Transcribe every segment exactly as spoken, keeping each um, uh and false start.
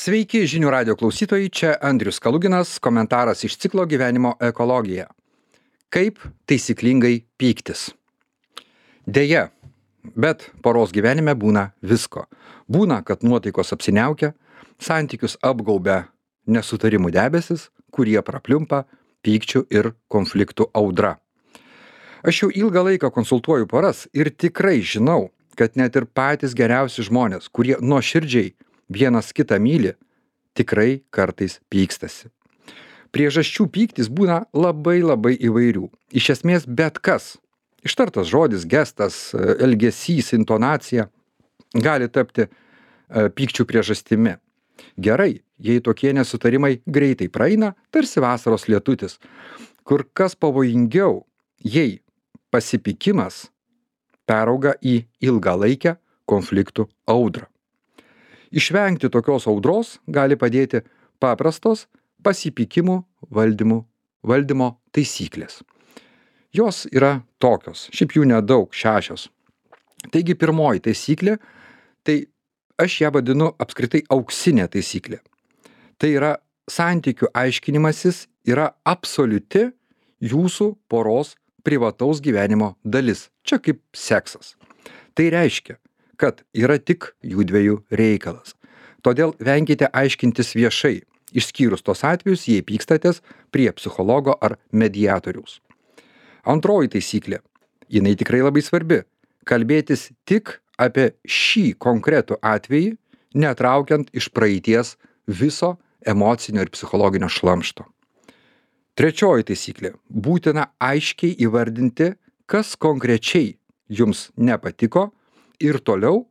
Sveiki žinių radio klausytojai, čia Andrius Kaluginas, komentaras iš ciklo Gyvenimo ekologija. Kaip taisyklingai pyktis? Deja, bet poros gyvenime būna visko. Būna, kad nuotaikos apsiniaukia, santykius apgaubia nesutarimų debesis, kurie prapliumpa pykčių ir konfliktų audra. Aš jau ilgą laiką konsultuoju poras ir tikrai žinau, kad net ir patys geriausi žmonės, kurie nuoširdžiai vienas kitą myli, tikrai kartais pykstasi. Priežasčių pyktis būna labai labai įvairių. Iš esmės bet kas. Ištartas žodis, gestas, elgesys, intonacija gali tapti pykčių priežastimi. Gerai, jei tokie nesutarimai greitai praeina, tarsi vasaros lietutis. Kur kas pavojingiau, jei pasipykimas perauga į ilgalaikę konfliktų audrą. Išvengti tokios audros gali padėti paprastos pasipykimų valdymų, valdymo taisyklės. Jos yra tokios, šiaip jų nedaug, šešios. Taigi pirmoji taisyklė, tai aš ją vadinu apskritai auksinė taisyklė. Tai yra santykių aiškinimasis yra absoliuti jūsų poros privataus gyvenimo dalis. Čia kaip seksas. Tai reiškia, kad yra tik jų dviejų reikalas. Todėl venkite aiškintis viešai, išskyrus tos atvejus, jei pykstatės prie psichologo ar mediatoriaus. Antroji taisyklė, jinai tikrai labai svarbi, kalbėtis tik apie šį konkretų atvejį, netraukiant iš praeities viso emocinio ir psichologinio šlamšto. Trečioji taisyklė, būtina aiškiai įvardinti, kas konkrečiai jums nepatiko, ir toliau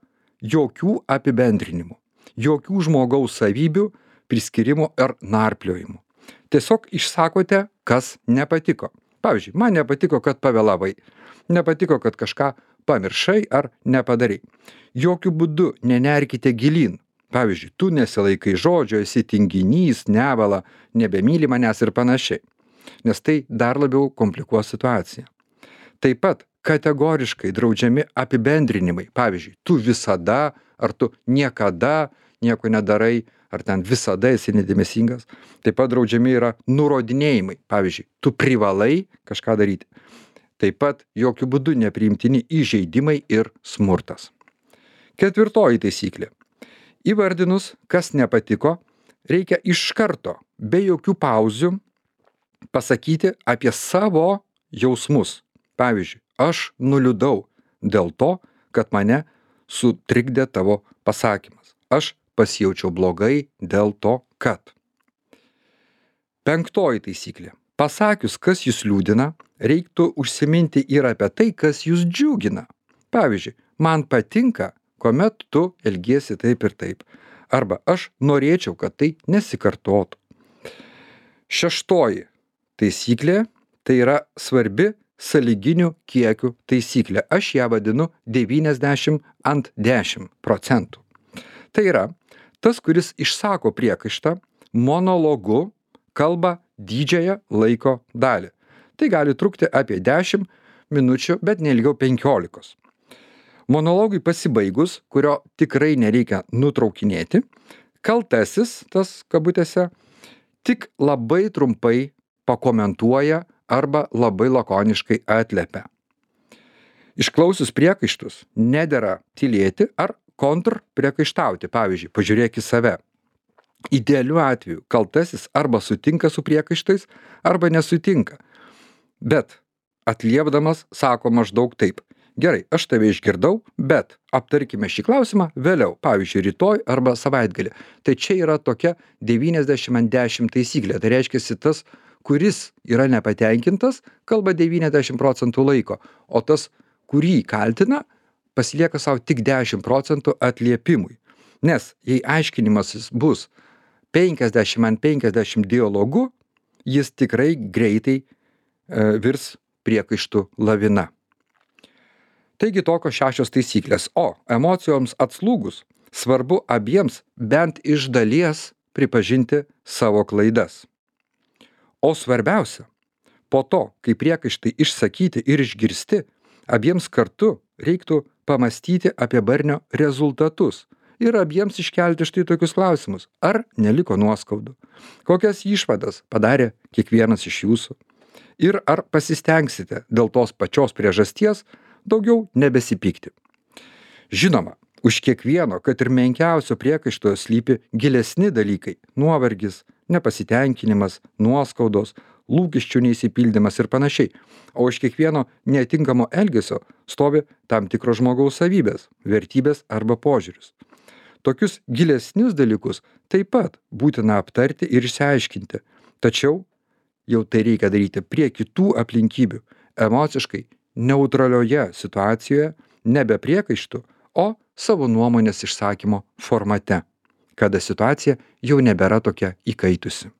jokių apibendrinimų, jokių žmogaus savybių, priskirimų ar narpliojimų. Tiesiog išsakote, kas nepatiko. Pavyzdžiui, man nepatiko, kad pavėlavai, nepatiko, kad kažką pamiršai ar nepadarai. Jokių būdų nenerkite gilyn. Pavyzdžiui, tu nesilaikai žodžio, esi tinginys, nevala, nebemyli manęs ir panašiai. Nes tai dar labiau komplikuos situaciją. Taip pat kategoriškai draudžiami apibendrinimai. Pavyzdžiui, tu visada, ar tu niekada nieko nedarai, ar ten visada esi nedėmesingas. Taip pat draudžiami yra nurodinėjimai. Pavyzdžiui, tu privalai kažką daryti. Taip pat jokių būdų nepriimtini įžeidimai ir smurtas. Ketvirtoji taisyklė. Įvardinus, kas nepatiko, reikia iš karto, be jokių pauzių, pasakyti apie savo jausmus. Pavyzdžiui, aš nuliūdau dėl to, kad mane sutrikdė tavo pasakymas. Aš pasijaučiau blogai dėl to, kad. Penktoji taisyklė. Pasakius, kas jūs liūdina, reiktų užsiminti ir apie tai, kas jūs džiugina. Pavyzdžiui, man patinka, kuomet tu elgiesi taip ir taip. Arba aš norėčiau, kad tai nesikartotų. Šeštoji taisyklė, tai yra svarbi sąlyginių kiekių taisyklė. Aš ją vadinu devyniasdešimt ant dešimt procentų. Tai yra, tas, kuris išsako priekaištą, monologu kalba didžiąją laiko dalį. Tai gali trukti apie dešimt minučių, bet neilgiau penkiolikos. Monologui pasibaigus, kurio tikrai nereikia nutraukinėti, kaltasis, tas kabutėse, tik labai trumpai pakomentuoja arba labai lakoniškai atliepia. Išklausius priekaištus, nedera tylėti ar kontrpriekaištauti. Pavyzdžiui, pažiūrėk į save. Idealiu atveju kaltasis arba sutinka su priekaištais, arba nesutinka. Bet atliepdamas sako maždaug taip. Gerai, aš tave išgirdau, bet aptarkime šį klausimą vėliau, pavyzdžiui, rytoj arba savaitgalį. Tai čia yra tokia devyniasdešimt ant dešimt taisyklė. Tai reiškia, tas, kuris yra nepatenkintas, kalba devyniasdešimt procentų laiko, o tas, kurį kaltina, pasilieka savo tik dešimt procentų atliepimui. Nes jei aiškinimasis bus penkiasdešimt ant penkiasdešimt dialogu, jis tikrai greitai e, virs priekaištų lavina. Taigi tokios šešios taisyklės. O emocijoms atslūgus svarbu abiems bent iš dalies pripažinti savo klaidas. O svarbiausia, po to, kai priekaištai išsakyti ir išgirsti, abiems kartu reiktų pamastyti apie barnio rezultatus ir abiems iškelti štai tokius klausimus. Ar neliko nuoskaudų? Kokias išvadas padarė kiekvienas iš jūsų? Ir ar pasistengsite dėl tos pačios priežasties daugiau nebesipykti? Žinoma, už kiekvieno, kad ir menkiausio priekaišto slypi gilesni dalykai – nuovargis, nepasitenkinimas, nuoskaudos, lūkesčių neįsipildymas ir panašiai. O už kiekvieno netinkamo elgesio stovi tam tikro žmogaus savybės, vertybės arba požiūris. Tokius gilesnius dalykus taip pat būtina aptarti ir išsiaiškinti. Tačiau jau tai reikia daryti prie kitų aplinkybių, emociškai neutralioje situacijoje, nebe priekaištų, o savo nuomonės išsakymo formate, kada situacija jau nebėra tokia įkaitusi.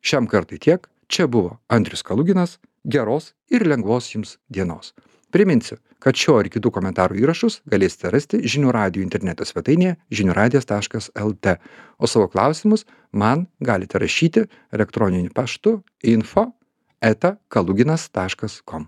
Šiam kartui tiek, čia buvo Andrius Kaluginas, geros ir lengvos jums dienos. Priminsiu, kad šio ir kitų komentarų įrašus galėsite rasti žinių radijo interneto svetainėje žinių radijas taškas lt, o savo klausimus man galite rašyti elektroniniu paštu info eta kaluginas taškas com.